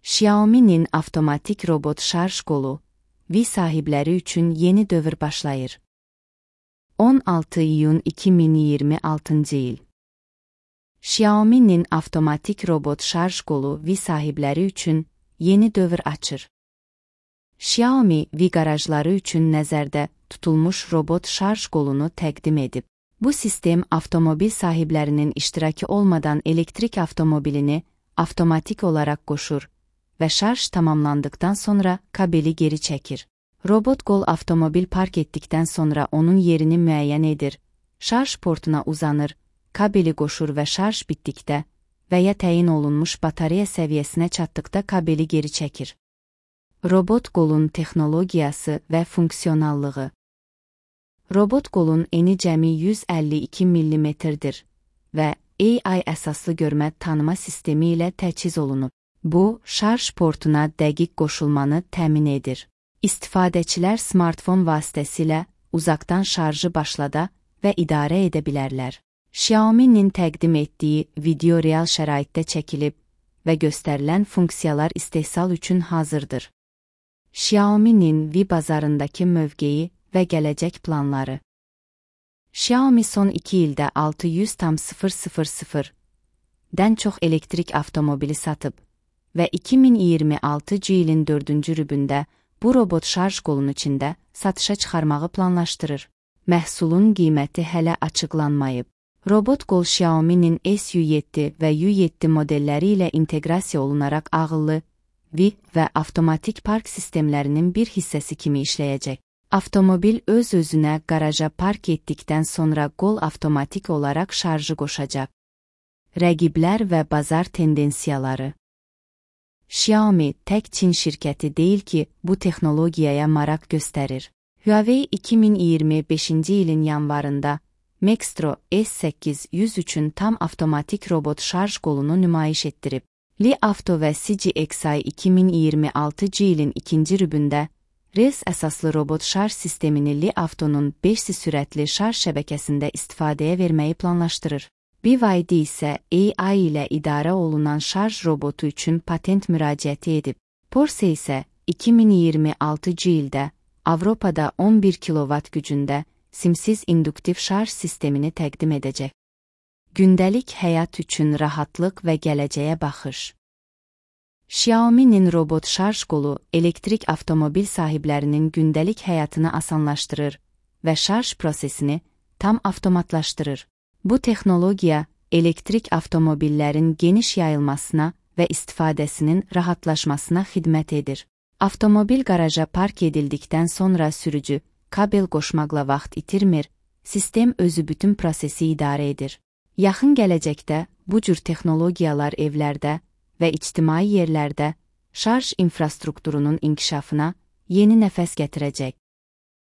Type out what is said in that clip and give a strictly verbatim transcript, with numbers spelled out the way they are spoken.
Xiaomi'nin avtomatik robot şarj qolu, V sahibləri üçün yeni dövr başlayır. on altı iyun iki min iyirmi altıncı il. Xiaomi'nin avtomatik robot şarj qolu V sahibləri üçün yeni dövr açır. Xiaomi V qarajları üçün nəzərdə tutulmuş robot şarj qolunu təqdim edib. Bu sistem avtomobil sahiblərinin iştirakı olmadan elektrik avtomobilini avtomatik olaraq qoşur və şarj tamamlandıqdan sonra kabeli geri çəkir. Robot qol avtomobil park etdikdən sonra onun yerini müəyyən edir, şarj portuna uzanır, kabeli qoşur və şarj bitdikdə və ya təyin olunmuş batareya səviyyəsinə çatdıqda kabeli geri çəkir. Robot qolun texnologiyası və funksionallığı. Robot qolun eni cəmi yüz əlli iki millimetrdir və A I əsaslı görmə tanıma sistemi ilə təchiz olunub. Bu, şarj portuna dəqiq qoşulmanı təmin edir. İstifadəçilər smartfon vasitəsilə uzaqdan şarjı başlada və idarə edə bilərlər. Xiaomi'nin təqdim etdiyi video real şəraitdə çəkilib və göstərilən funksiyalar istehsal üçün hazırdır. Xiaomi'nin V bazarındakı mövqeyi və gələcək planları. Xiaomi son iki ildə altı yüz min dən çox elektrik avtomobili satıb və iki min iyirmi altıncı ilin dördüncü rübündə bu robot şarj qolunun içində satışa çıxarmağı planlaşdırır. Məhsulun qiyməti hələ açıqlanmayıb. Robot qol Xiaomi'nin S U yeddi və U yeddi modelləri ilə inteqrasiya olunaraq ağıllı, V və avtomatik park sistemlərinin bir hissəsi kimi işləyəcək. Avtomobil öz-özünə qaraja park etdikdən sonra qol avtomatik olaraq şarjı qoşacaq. Rəqiblər və bazar tendensiyaları. Xiaomi tək Çin şirkəti deyil ki, bu texnologiyaya maraq göstərir. Huawei iki min iyirmi beşinci ilin yanvarında Maxtro S səkkiz yüz üçün tam avtomatik robot şarj qolunu nümayiş etdirib. Li Auto və C G X I iki min iyirmi altıncı ilin ikinci rübündə Res əsaslı robot şarj sistemini Li Auto'nun beş C sürətli şarj şəbəkəsində istifadəyə verməyi planlaşdırır. B Y D isə A I ilə idarə olunan şarj robotu üçün patent müraciəti edib. Porsche isə iki min iyirmi altıncı ildə Avropada on bir kilovat gücündə simsiz induktiv şarj sistemini təqdim edəcək. Gündəlik həyat üçün rahatlıq və gələcəyə baxış. Xiaomi'nin robot şarj qolu elektrik avtomobil sahiblərinin gündəlik həyatını asanlaşdırır və şarj prosesini tam avtomatlaşdırır. Bu texnologiya elektrik avtomobillərin geniş yayılmasına və istifadəsinin rahatlaşmasına xidmət edir. Avtomobil qaraja park edildikdən sonra sürücü kabel qoşmaqla vaxt itirmir, sistem özü bütün prosesi idarə edir. Yaxın gələcəkdə bu cür texnologiyalar evlərdə və ictimai yerlərdə şarj infrastrukturunun inkişafına yeni nəfəs gətirəcək.